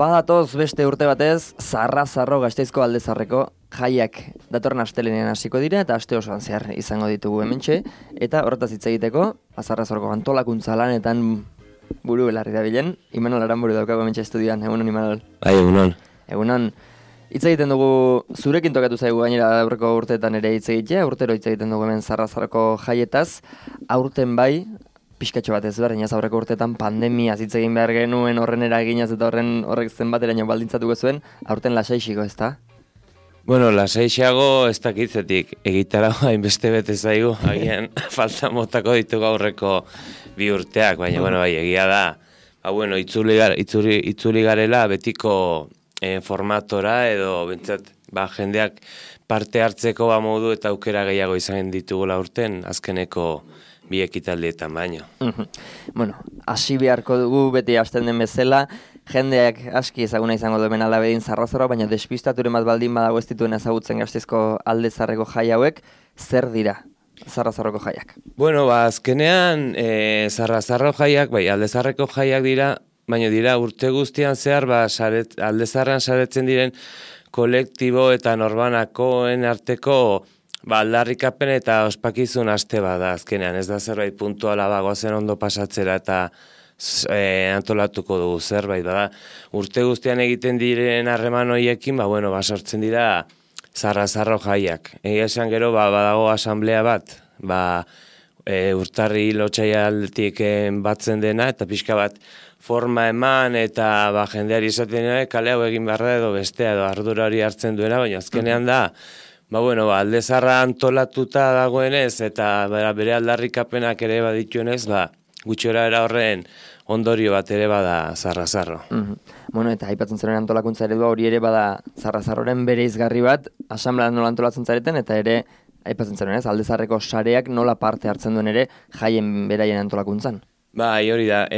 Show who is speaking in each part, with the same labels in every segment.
Speaker 1: Badatoz beste urte batez, Zarra-Zarro Gasteizko Aldezarreko jaiak datorren astelenean hasiko dira eta aste osoan zehar izango ditugu hementxe, eta horretaz hitz egiteko, Zarra-Zarroko antolakuntza lanetan buru belarri dabilen, Imanol Aranburu daukago hementxe estudioan, egunon Imanol.
Speaker 2: Bai, egunon.
Speaker 1: Egunon. Hitz egiten dugu, zurekin tokatu zaigu gainera aurreko urteetan ere hitz egitea, urtero hitz egiten dugu hemen Zarra-Zarroko jaietaz, aurten bai, pixkatxo bat ezberdin, aurreko urteetan pandemia hitz egin behar genuen horren eraginaz eta horrek zenbateraino baldintzatuko zuen, aurten lasaixiko, ezta?
Speaker 2: Bueno, lasaixago ez dakitzetik, egitara hainbeste bete zaigu, agian falta motako ditugu aurreko bi urteak, baina bueno, bai, egia da, itzuli garela betiko formatora edo bentsat, jendeak parte hartzeko modu eta aukera gehiago izan ditugula urten, azkeneko bi ekitaldietan baino.
Speaker 1: Bueno, hasi beharko dugu beti hasten den bezala, jendeak aski ezaguna izango duen alabedin Zarra-Zarroa, baina despistaturen bat baldin badago ez dituen ezagutzen Gasteizko Aldezarreko jai hauek, zer dira Zarra-Zarroko jaiak?
Speaker 2: Bueno, azkenean Zarra-Zarro jaiak, bai, Aldezarreko jaiak dira, baina dira urte guztian zehar, Aldezarrean saretzen diren kolektibo eta norbanakoen arteko aldarrikapen eta ospakizun aste bada azkenean, ez da zerbait puntuala goazen ondo pasatzera eta antolatuko dugu zerbait bada. Urte guztian egiten diren harreman horiekin, sortzen dira Zarra-Zarro jaiak. Egia esan gero badago asamblea bat, urtarri lotxaialtik batzen dena eta pixka bat forma eman eta jendeari izaten kale hau egin beharra edo bestea edo ardura hori hartzen duena, baina azkenean da Aldezarra antolatuta dagoenez eta bere aldarrikapenak ere badituenez, gutxora era horren ondorio bat ere bada Zarra-Zarro.
Speaker 1: Bueno, eta aipatzen zaren antolakuntza eredua hori ere bada Zarra-Zarroren bere izgarri bat, asamblea nola antolatzen zareten, eta ere aipatzen zaren Aldezarreko sareak nola parte hartzen duen ere jaien beraien antolakuntzan.
Speaker 2: Bai, hori da,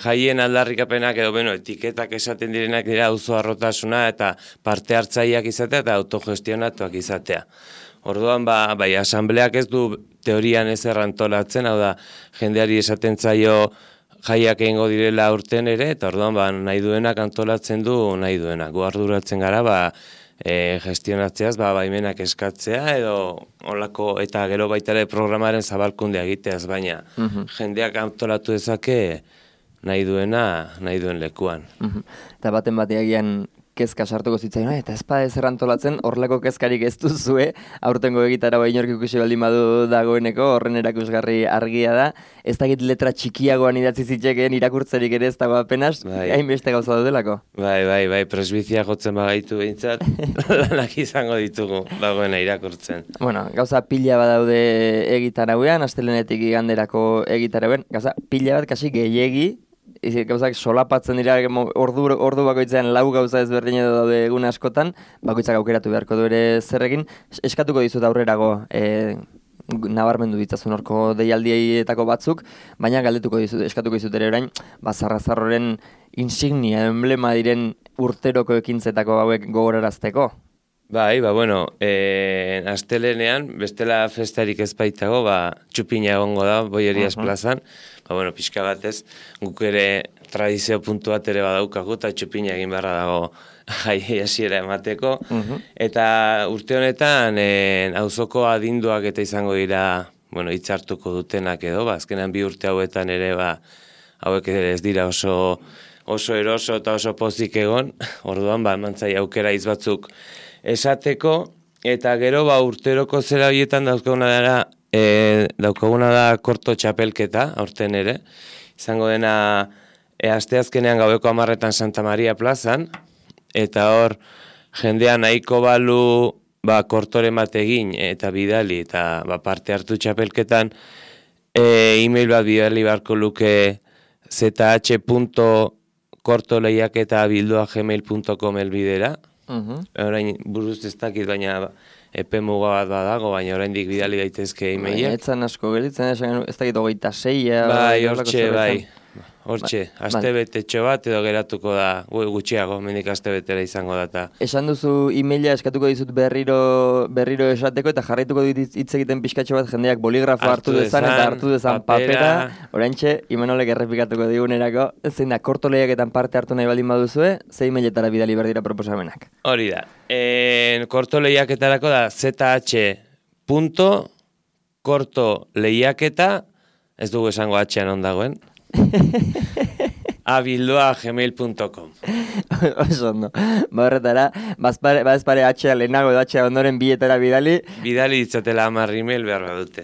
Speaker 2: jaien aldarrikapenak edo, etiketak esaten direnak dira auzo harrotasuna eta parte hartzaileak izatea eta autogestionatuak izatea. Orduan, asambleak ez du teorian ez errantolatzen, hau da, jendeari esaten zaio jaiak egingo direla urten ere, eta orduan, nahi duenak antolatzen du nahi duenak. Gu arduratzen gara, gestionatzeaz, baimenak eskatzea edo olako eta gero baita ere programaren zabalkundea egiteaz, baina jendeak antolatu dezake nahi duen lekuan.
Speaker 1: Eta baten bateagian kezka sartuko zitzaion, eta ezpada ez errantolatzen, horrelako kezkarik ez duzue, aurtengo egitara inork ikusi baldin badu dagoeneko, horren erakusgarri argia da, ez dakit letra txikiagoan idatzi zitzekeen irakurtzerik ere ez dago apenas, hainbeste gauza daudelako.
Speaker 2: Bai, presbizia jotzen bagaitu behintzat, lanak izango ditugu dagoena irakurtzen.
Speaker 1: Bueno, gauza pila badaude egitarauean, astelenetik iganderako egitarauean, gauza pila bat kasi gehiegi, gauzak solapatzen dira ordu bakoitzean lau gauza ezberdin edo daude egun askotan, bakoitzak aukeratu beharko du ere zerrekin, eskatuko dizut aurrerago nabarmendu ditzazun horko deialdietako batzuk, baina eskatuko dizut ere orain, Zarra-Zarroren insignia, emblema diren urteroko ekintzetako hauek gogorarazteko.
Speaker 2: Bai, astelenean, bestela festarik ez baitago, txupina egongo da, Bollerias plazan, pixka batez, guk ere tradizio puntu bat ere badaukagu, eta txupina egin beharra dago jai hasiera emateko, eta urte honetan, auzoko adinduak eta izango dira, hitzartuko dutenak edo, azkenan bi urte hauetan ere, hauek ere ez dira oso eroso eta oso pozik egon, orduan, emantzai aukera batzuk esateko, eta gero urteroko zera horietan daukaguna da korto txapelketa, aurten ere, izango dena asteazkenean gaueko 10:00 Santa Maria plazan, eta hor jendea nahiko balu kortoren bat egin eta bidali, eta parte hartu txapelketan, e-mail bat bidali beharko luke zh.kortolehiaketa@gmail.com elbidera. Orain buruz ez dakit, baina epe muga bat badago, baina oraindik bidali daitezke e-mailak.
Speaker 1: Etzan asko gelitzen, ez dakit 26.
Speaker 2: hortxe, aste betetxo bat edo geratuko da, gutxiago, mendik aste betera izango da. Ta.
Speaker 1: Esan duzu emaila eskatuko dizut berriro esateko eta jarraituko dit hitz egiten pixkatxo bat jendeak boligrafo hartu dezan eta hartu dezan papera. Oraintxe, Imanolek errepikatuko digunerako, zein da, korto lehiaketan parte hartu nahi baldin baduzue, ze emailetara bidali berdira proposamenak.
Speaker 2: Hori da, korto lehiaketarako da zh.kortolehiaketa, ez dugu esango atxean ondagoen, abildua@gmail.com.
Speaker 1: Oso ondo. Horretara, bazpare atxea lehenago edo atxea ondoren bietara bidali.
Speaker 2: Bidali ditzatela 10 email behar badute.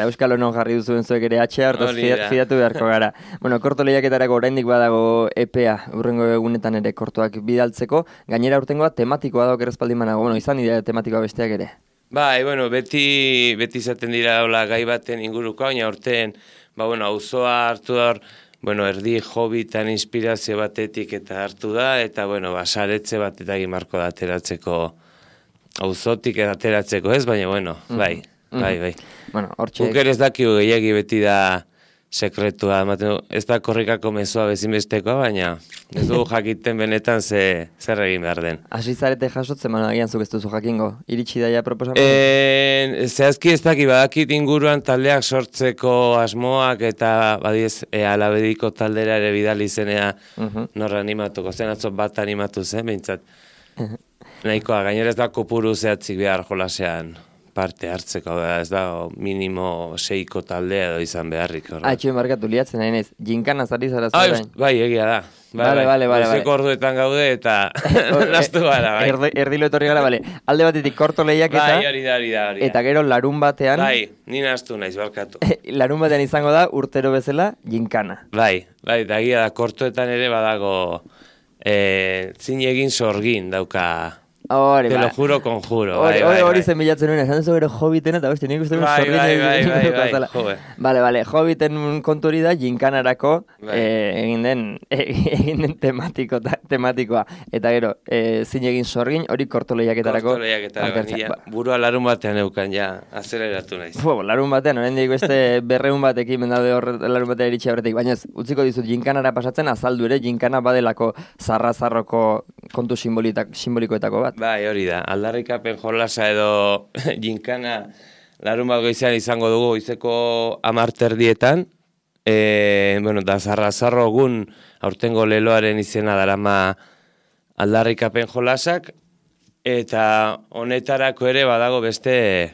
Speaker 1: Euskal Honon jarri duzuen zuek ere atxea, hortaz fidatu beharko gara. Bueno, korto lehiaketarako oraindik badago EPEA, urrengo egunetan ere kortoak bidaltzeko. Gainera urtengoa tematikoa dago errezpaldin manago. Bueno, izan dira tematikoa besteak ere.
Speaker 2: Bai, bueno, beti izaten dira gai baten inguruko, baina urten, auzoa hartu da hor, erdi hobbitan inspirazio batetik eta hartu da, eta, saretze bat eta gimarko da ateratzeko, auzotik ateratzeko ez, baina, bai. Guk ere ez dakigu gehiagi beti da sekretua, ez da korrikako mezua bezinbestekoa, baina ez dugu jakiten benetan zer egin behar den.
Speaker 1: Hasi zarete jasotzen, agian zuk ez duzu jakingo, iritsi daia proposamen?
Speaker 2: Zehazki ez badakit inguruan taldeak sortzeko asmoak eta badiez alabediko taldera ere bidali zenea norra animatuko, zen atzo bat animatu zen, behintzat. Nahikoa, gainera ez da kopuru zehatzik behar jolasean parte hartzeko, ez da minimo 6ko taldea edo izan beharrik.
Speaker 1: Atxuen markatu liatzen nahi nez, jinkana zari zara zarain.
Speaker 2: Bai, egia da.
Speaker 1: Bale.
Speaker 2: Zeko orduetan gaude eta naztu gara, bai.
Speaker 1: Erdilo etorri gara, bale. Alde batetik korto lehiaketa.
Speaker 2: Bai, hori da.
Speaker 1: Eta gero larun batean.
Speaker 2: Bai, ni naztu naiz, barkatu.
Speaker 1: Larun batean izango da, urtero bezala, jinkana.
Speaker 2: Bai, da egia da, kortoetan ere badago zin egin sorgin dauka. Te lo juro, conjuro.
Speaker 1: Hori zen bilatzen nuen, esan duzu gero Hobbiten eta beste, nik uste
Speaker 2: Bai.
Speaker 1: Bale, Hobbiten kontu hori da, jinkanarako egin den tematikoa. Eta gero, zin egin sorgin, hori korto lehiaketarako.
Speaker 2: Burua larun batean eukan, ja, azeleratu naiz.
Speaker 1: Larun batean, oraindik beste 200 batekin mendaude larun batean iritsi horretik. Baina utziko dizut, jinkanara pasatzen azaldu ere, jinkana badelako zarra-zarroko kontu simbolikoetako bat.
Speaker 2: Bai, hori da. Aldarrikapen jolasa edo jinkana larun bat goizean izango dugu goizeko 10:00 da zarra-zarro egun aurtengo leloaren izena darama aldarrikapen jolasak, eta honetarako ere badago beste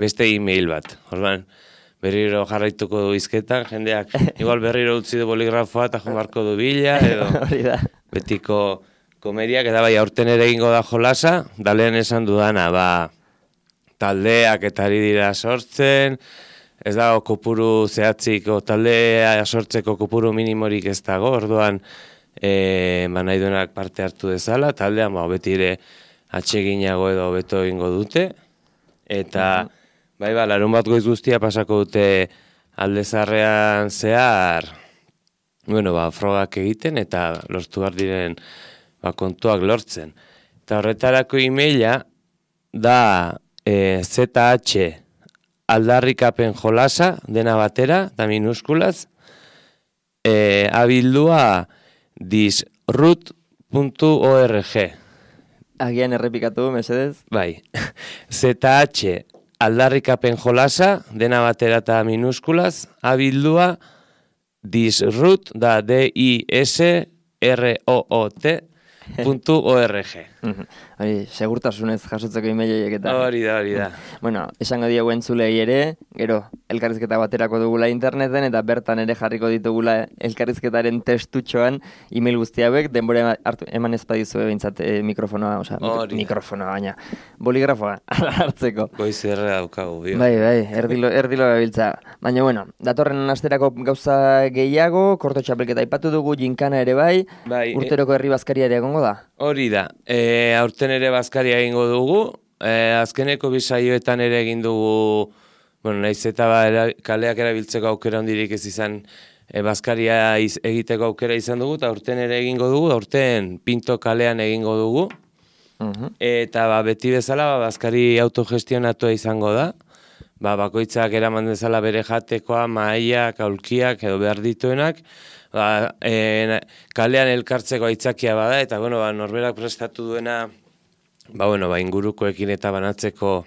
Speaker 2: e-mail bat. Orduan, berriro jarraituko du izketan, jendeak igual berriro utzi du boligrafoa eta jomarko du bila, edo betiko komediak, eta bai, aurten ere egingo da jolasa, dalean esan dudana, taldeak eta ari dira sortzen, ez dago kopuru zehatzik, taldea sortzeko kopuru minimorik ez dago, orduan nahi duenak parte hartu dezala, taldean beti ere atseginago edo beto egingo dute, eta larun bat goiz guztia pasako dute Aldezarrean zehar, frogak egiten eta lortu behar diren kontuak lortzen. Eta horretarako emaila da zh.aldarrikapen jolasa, dena batera, da minuskulaz, abildua disrut.org.
Speaker 1: Agian errepikatu, mesedez?
Speaker 2: Bai, zh.aldarrikapen jolasa, dena batera eta minuskulaz, abildua disrut, da disroot.org.
Speaker 1: Segurtasunez jasotzeko emailek eta.
Speaker 2: Hori da.
Speaker 1: Bueno, esango diegu entzulei ere, gero, elkarrizketa baterako dugula interneten, eta bertan ere jarriko ditugula elkarrizketaren testutxoan email guzti hauek, denbora eman ezpadizu behintzat mikrofonoa, mikrofonoa baina, boligrafoa hartzeko.
Speaker 2: Goizerre daukagu.
Speaker 1: Bai, erdilo gabiltza. Baina, bueno, datorren asterako gauza gehiago, korto txapelketa aipatu dugu, jinkana ere bai, urteroko herri bazkaria ere egongo da?
Speaker 2: Hori da, aurten ere bazkaria egingo dugu, azkeneko bisaioetan ere egin dugu, nahiz eta kaleak erabiltzeko aukera hondirik ez izan, bazkaria egiteko aukera izan dugu, eta aurten ere egingo dugu, aurten Pinto kalean egingo dugu, eta beti bezala bazkari autogestionatua izango da, bakoitzak eraman dezala bere jatekoa, mahaiak, aulkiak edo behar dituenak, kalean elkartzeko aitzakia bada, eta norberak prestatu duena, ingurukoekin eta banatzeko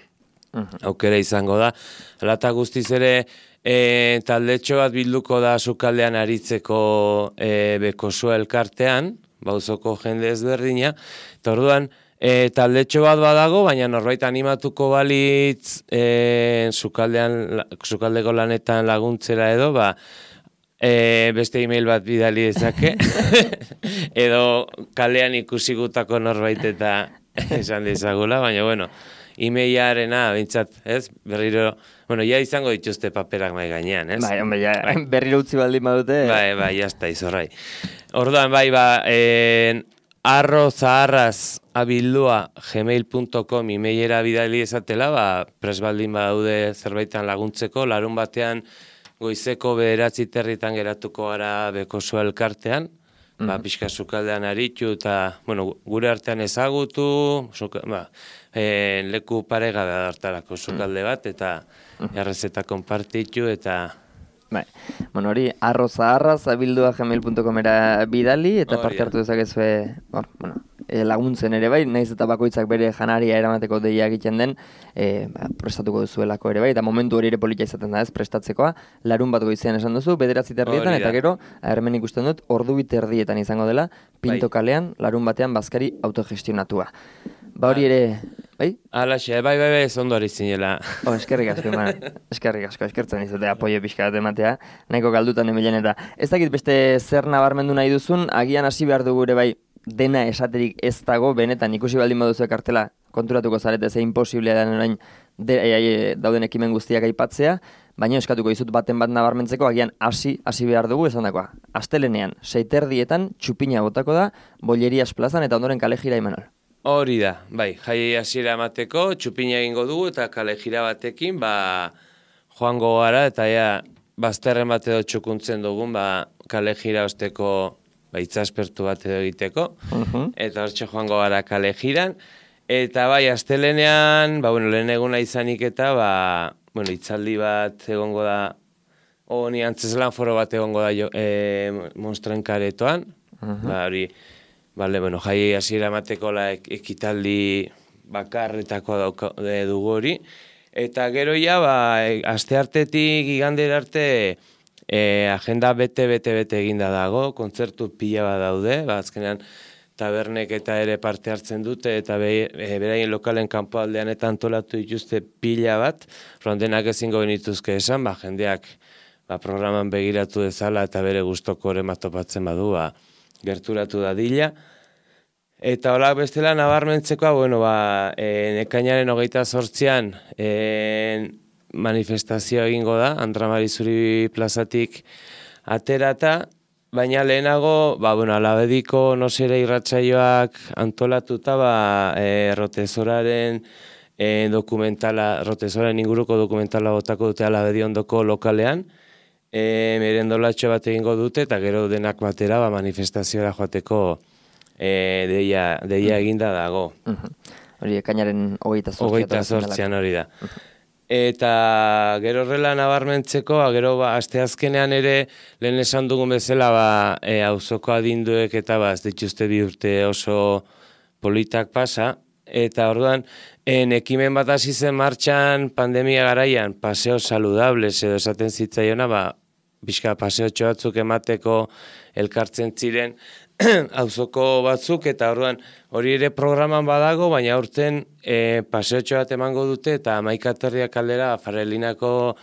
Speaker 2: aukera izango da. Hala eta guztiz ere, taldetxo bat bilduko da sukaldean aritzeko Bekosua elkartean, bauzoko jende ezberdina, eta orduan, taldetxo bat badago, baina norbait animatuko balitz sukaldeko lanetan laguntzera edo, beste e-mail bat bidali dezake, edo kalean ikusigutako norbait eta esan dezagula, baina e-mailarena, bintzat, ez? Berriro, ja izango dituzte paperak mai gainean, ez?
Speaker 1: Berriro utzi baldin badute.
Speaker 2: Jazta, izorrai. Orduan, arrozaharraz@gmail.com emailera bidali ezatela, pres baldin badaude zerbaitan laguntzeko, larun batean goizeko 9:30 geratuko gara Bekosua elkartean, pixka sukaldean aritu eta, gure artean ezagutu, leku paregabe hartarako sukalde bat, eta errezeta konpartitu, eta...
Speaker 1: Hori, arrozaharraz@gmail.comera bidali, eta parte hartu dezakezue, laguntzen ere bai, nahiz eta bakoitzak bere janaria eramateko deia egiten den, prestatuko duzuelako ere bai, eta momentu hori ere polita izaten da ez, prestatzekoa, larun bat goizean esan duzu, 9:30 eta gero, hemen ikusten dut, 2:30 izango dela, Pinto kalean, larun batean bazkari autogestionatua. Hori ere, bai?
Speaker 2: Alaxe, ez ondo hori zinela.
Speaker 1: Eskerrik asko, eskertzen izate apoio pixka bat ematea, nahiko galdutan emilen eta. Ez dakit beste zer nabarmendu nahi duzun, agian hasi behar dugu ere bai, dena esaterik ez dago, benetan ikusi baldin baduzu kartela, konturatuko zarete ze imposiblea da orain dauden ekimen guztiak aipatzea, baina eskatuko dizut baten bat nabarmentzeko, agian hasi behar dugu esan dakoa. Astelenean, 6:30 txupina botako da, Bollerias plazan eta ondoren kale jira Imanol.
Speaker 2: Hori da, jai hasiera emateko, txupina egingo dugu eta kale jira batekin, joango gara eta bazterren bat edo txukuntzen dugun, kale jira osteko itzaspertu bat edo egiteko, eta hortxe joango gara kale jiran, eta astelenean, lehen eguna izanik eta, itzaldi bat egongo da, ni antzeslan foro bat egongo da Monstren karetoan, hori, jai hasiera emateko ekitaldi bakarretako dugu hori, eta gero asteartetik igandera arte agenda bete eginda dago, kontzertu pila bat daude, azkenean tabernek eta ere parte hartzen dute, eta beraien lokalen kanpoaldean eta antolatu dituzte pila bat, rondenak ezingo genituzke esan, jendeak programan begiratu dezala eta bere gustoko hori matopatzen badu, gerturatu dadila. Eta hola bestela nabarmentzekoa, ekainaren 28an manifestazioa egingo da, Andra Marizuri plazatik aterata, baina lehenago, alabediko nosera irratsaioak antolatuta, Rotezoraren dokumentala, Rotezoraren inguruko dokumentala botako dute alabedi ondoko lokalean, merendolatxo bat egingo dute, eta gero denak batera manifestazioa joateko deia eginda dago.
Speaker 1: Hori ekainaren 28an
Speaker 2: hori da. Eta gero horrela nabarmentzeko, gero asteazkenean ere lehen esan dugun bezala auzoko adinduek eta ez dituzte 2 urte oso politak pasa, eta orduan ekimen bat hasi zen martxan pandemia garaian, paseo saludables edo esaten zitzaiona, pixka paseotxo batzuk emateko elkartzen ziren auzoko batzuk, eta orduan hori ere programan badago, baina aurten paseotxo bat emango dute, eta 11 aterriak aldera Farelinako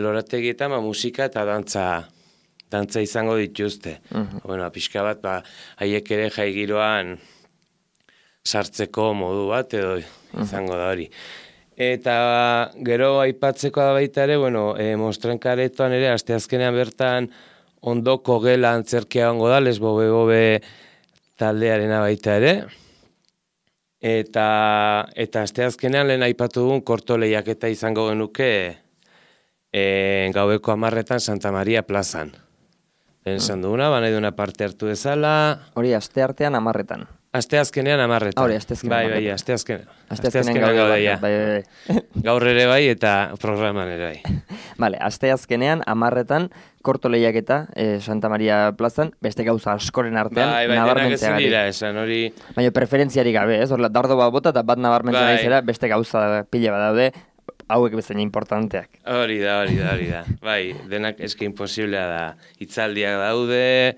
Speaker 2: lorategietan musika eta dantza izango dituzte. Pixka bat, haiek ere jai giroan sartzeko modu bat edo izango da hori. Eta gero aipatzeko da baita ere, Monstren karetoan ere, asteazkenean bertan ondoko gela antzerkia gongo da, Lesbobe taldearena baita ere. Eta asteazkenean lehen aipatu dugun korto lehiaketa izango genuke gaueko 10:00 Santa Maria plazan. Lehen esan duguna, nahi duna parte hartu dezala.
Speaker 1: Hori asteartean 10:00.
Speaker 2: Asteazkenean 10:00.
Speaker 1: Hori, asteazkenean.
Speaker 2: Bai, asteazkenean.
Speaker 1: Asteazkenean gaude,
Speaker 2: ja.
Speaker 1: Bai.
Speaker 2: Gaur ere bai eta programan ere bai.
Speaker 1: Vale, asteazkenean 10:00 korto lehiaketa Santa Maria plazan, beste gauza askoren artean
Speaker 2: Bai, denak ezin
Speaker 1: nabarmentzeagatik.
Speaker 2: dira esan, hori...
Speaker 1: Baina preferentziarik gabe, ez? Horrela, dardo bat bota eta bat nabarmentzen
Speaker 2: Bai.
Speaker 1: naizera, beste gauza pila bat daude, hauek bezain importanteak.
Speaker 2: Hori da. Bai, denak eske imposiblea da. Hitzaldiak daude,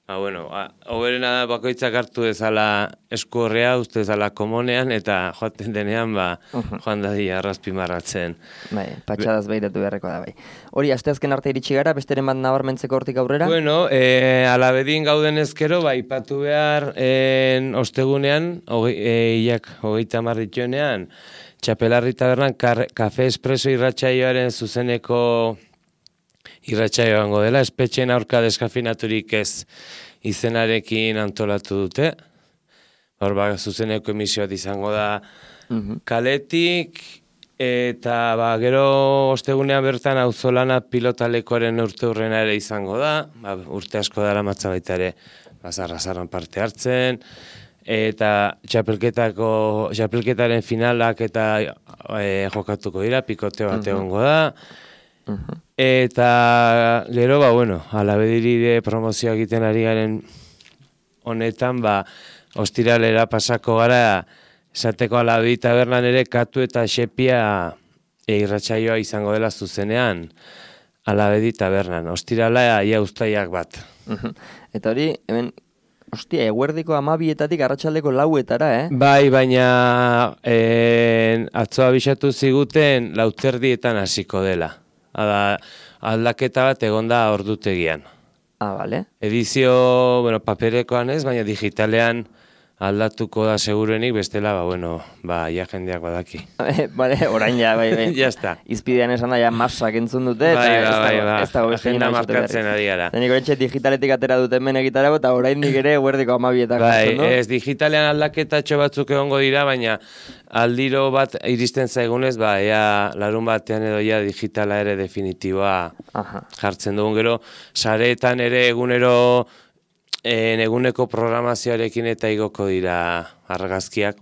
Speaker 2: bueno, hoberena da bakoitzak hartu dezala eskuorrea, uste dezala komonean, eta joaten denean, joan dadia arrazpimarratzen.
Speaker 1: Bai, patxadaz behiratu beharreko da, bai. Hori, asteazken arte iritsi gara, besteren bat nabarmentzeko hortik aurrera?
Speaker 2: Bueno, alabedin gauden ezkero, ipatu behar ostegunean, hilak 30 dituenean, Txapelarri tabernan Kafe Espresso irratsaioaren zuzeneko irratsaioa egongo dela, espetxeen aurka deskafinaturik ez izenarekin antolatu dute. Hor zuzeneko emisioa izango da kaletik, eta gero ostegunean bertan auzolana pilotalekoaren urteurrena ere izango da, urte asko dara matza baita ere bazarra-zarran parte hartzen, eta txapelketaren finalak eta jokatuko dira, pikote bat egongo da. Eta gero, alabediri promozioa egiten ari garen honetan, ostiralera pasako gara, esateko Alabedi tabernan ere katu eta xepia irratsaioa izango dela zuzenean, Alabedi tabernan. Ostirala ia uztaiak bat.
Speaker 1: Eta hori, hemen, eguerdiko 12:00 arratsaldeko 4:00,
Speaker 2: Bai, baina atzo abisatu ziguten 4:00 hasiko dela. Aldaketa bat egonda ordutegian.
Speaker 1: Bale.
Speaker 2: Edizio, paperekoan ez, baina digitalean aldatuko da segurenik, bestela, ja jendeak badaki.
Speaker 1: Bale, orain ja, bai.
Speaker 2: Ya está.
Speaker 1: Izpidean esan da, ja masak entzun dute, eta ez dago beste
Speaker 2: agenda markatzen ari gara.
Speaker 1: Nik horretxe digitaletik atera duten men egitarago, eta orain nik ere eguerdiko 12:00
Speaker 2: Bai, ez digitalean aldaketatxo batzuk egongo dira, baina aldiro bat iristen zaigunez, ea larun batean edo ja digitala ere definitiboa jartzen dugun gero, sareetan ere eguneko programazioarekin eta igoko dira argazkiak,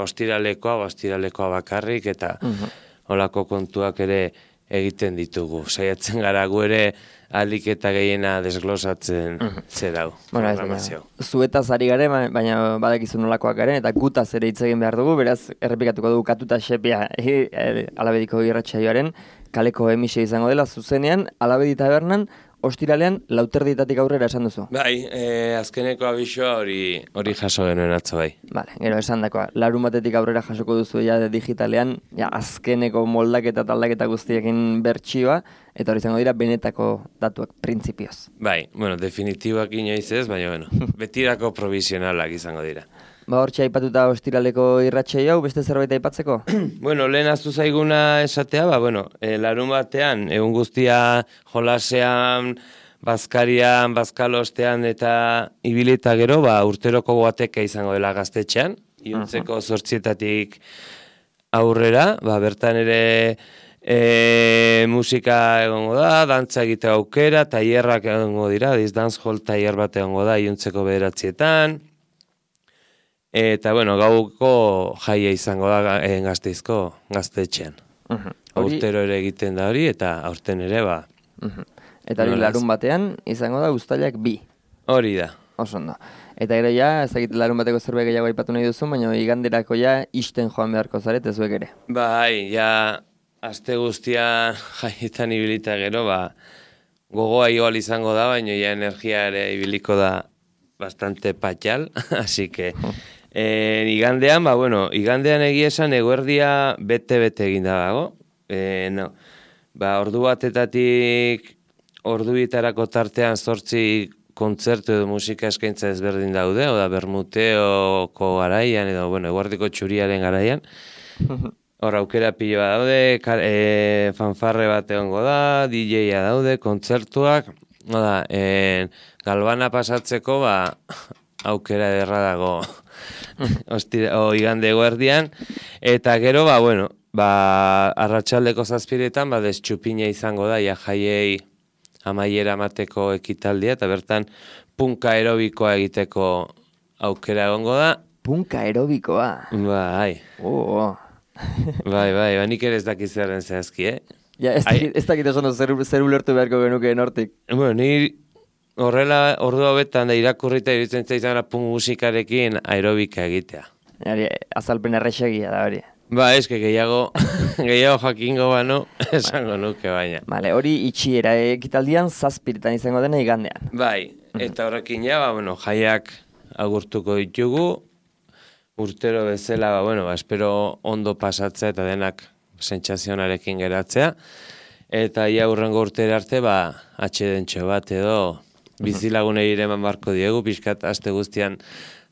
Speaker 2: ostiralekoa bakarrik, eta holako kontuak ere egiten ditugu. Saiatzen gara gu ere alik eta gehiena desglosatzen zerau programazio.
Speaker 1: Zuetaz ari gare, baina badakizu nolakoak garen, eta gutaz ere hitz egin behar dugu, beraz, errepikatuko dugu katuta xepia Alabediko irratsaioaren kaleko emisio izango dela zuzenean, Alabedi tabernan, ostiralean 4:00 aurrera esan duzu.
Speaker 2: Bai, azkeneko abisoa hori jaso genuen atzo bai.
Speaker 1: Vale, gero esan dakoa, 4:00 aurrera jasoko duzu digitalean, azkeneko moldaketa eta aldaketa guztiekin bertsioa, eta hori izango dira benetako datuak printzipioz.
Speaker 2: Bai, definitiboak inoiz ez, baina betirako provisionalak izango dira.
Speaker 1: Hortxe aipatuta ostiraleko irratsaio hau, beste zerbait aipatzeko?
Speaker 2: Lehen aztu zaiguna esatea, larun batean, egun guztia jolasean, bazkarian, bazkalostean eta ibilita gero, urteroko guateka izango dela Gaztetxean, iuntzeko 8:00 aurrera, bertan ere musika egongo da, dantza egite aukera, tailerrak egongo dira, dance hall tailer bat egongo da iuntzeko 9:00, eta, gauko jaia izango da Gasteizko Gaztetxean. Aurtero ere egiten da hori, eta aurten ere,
Speaker 1: Eta hori larun batean izango da uztailak 2.
Speaker 2: Hori da.
Speaker 1: Oso ondo. Eta gero ez dakit larun bateko zerbait gehiago aipatu nahi duzu, baina iganderako isten joan beharko zaret, zuek ere.
Speaker 2: Bai, aste guztia jaietan ibilita gero, gogoa igual izango da, baina energia ere ibiliko da bastante patxal, así que... igandean, igandean egia esan eguerdia bete-bete eginda dago. Ordu batetatik ordubitarako tartean 8 kontzertu edo musika eskaintza ezberdin daude, oda Bermuteoko garaian, edo, eguerdiko txuriaren garaian. Hor aukera piloa daude, fanfarre bat egongo da, DJ-a daude, kontzertuak. Galbana pasatzeko, aukera ederra dago igande eguerdian, eta gero, arratsaldeko 7:00 destxupina izango da, jaiei amaiera mateko ekitaldia, eta bertan punka aerobikoa egiteko aukera egongo da.
Speaker 1: Punka aerobikoa.
Speaker 2: Bai. Bai, nik ere ez dakit zerren zehazki,
Speaker 1: Ja, ez dakit esan zer ulertu beharko genuke nortik.
Speaker 2: Bueno, ni horrela ordu hauetan da irakurrita iruditzen zaizan punk musikarekin aerobika egitea.
Speaker 1: Azalpen errexegia da hori.
Speaker 2: Ba, eske gehiago jakingo bano, esango nuke baina.
Speaker 1: Vale, hori itxiera ekitaldian 7 izango dena igandean.
Speaker 2: Bai, eta horrekin ja, jaiak agurtuko ditugu, urtero bezala, espero ondo pasatzea eta denak sentsazionarekin geratzea, eta ia hurrengo urtera arte, atxedentxo bat edo bizilagunei ere eman barko diegu, pixkat aste guztian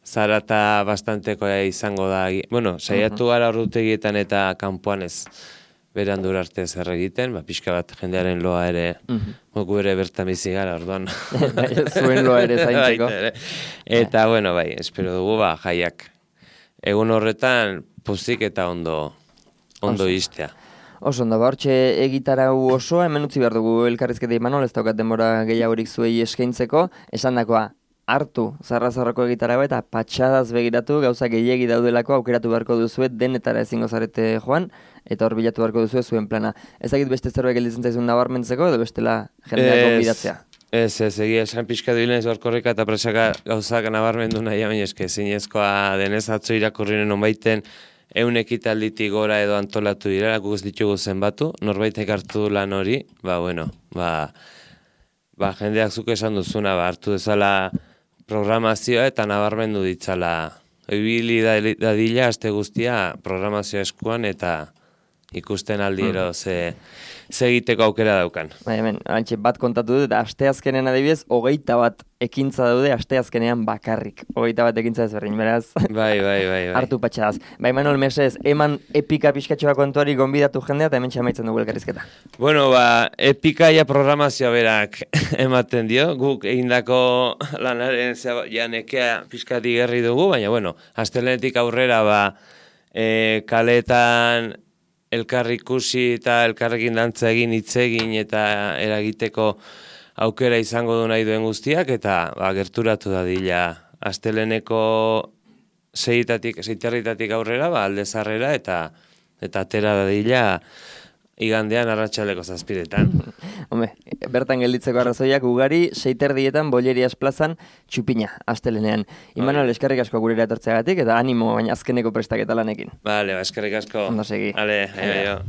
Speaker 2: zarata bastantekoa izango da. Saiatu gara ordutegietan eta kanpoan ez berandur arte zer egiten, pixka bat jendearen loa ere, gu ere bertan bizi gara, orduan.
Speaker 1: Zuen loa ere zaintzeko.
Speaker 2: Eta, espero dugu, jaiak. Egun horretan, pozik eta ondo iztea.
Speaker 1: Oso ondo, hortxe egitarau osoa, hemen utzi behar dugu elkarrizketa Imanol, ez daukat denbora gehiagorik zuei eskaintzeko, esan dakoa, hartu zarra-zarrako egitarau eta patxadaz begiratu, gauza gehiegi daudelako aukeratu beharko duzuet, denetara ezingo zarete joan, eta hor bilatu beharko duzuet zuen plana. Ezakit beste zerbait gelditzen zaizun nabarmentzeko, edo bestela jendeak gonbidatzea?
Speaker 2: Ez, egia esan pixka duilen ez barkorrika eta presaka gauzak nabarmendu nahi, baina eske zinezkoa denez atzo irakurrinen onbaiten 100 ekitalditik gora edo antolatu dira, guk ez ditugu zenbatu, norbaitek hartu lan hori, jendeak zuk esan duzuna, hartu dezala programazioa eta nabarmendu ditzala. Ibili dadila aste guztia programazioa eskuan eta ikusten aldiero ze egiteko aukera daukan.
Speaker 1: Hemen, bat kontatu dut, asteazkenen adibidez, 21 ekintza daude asteazkenean bakarrik. 21 ekintza ezberdin, beraz.
Speaker 2: Bai.
Speaker 1: Hartu patxadaz. Manuel Mesez, eman epika pixkatxoa kontuari gonbidatu jendea eta hemen txamaitzen dugu elkarrizketa.
Speaker 2: Epika ja programazioa berak ematen dio. Guk egindako lanaren janekea pixkati gerri dugu, baina, astelenetik aurrera kaletan elkar ikusi eta elkarrekin dantza egin, hitz egin eta eragiteko aukera izango du nahi duen guztiak, eta gerturatu dadila asteleneko 6:00 aurrera, aldezarrera eta atera dadila igandean arratsaldeko 7:00.
Speaker 1: Bertan gelditzeko arrazoiak ugari, 6:30 Bollerias plazan txupina, astelenean. Imanol, eskerrik asko gurera etortzeagatik, eta animo, baina azkeneko prestaketa lanekin.
Speaker 2: Bale, eskerrik asko.
Speaker 1: Ondo segi.
Speaker 2: Bale, aio.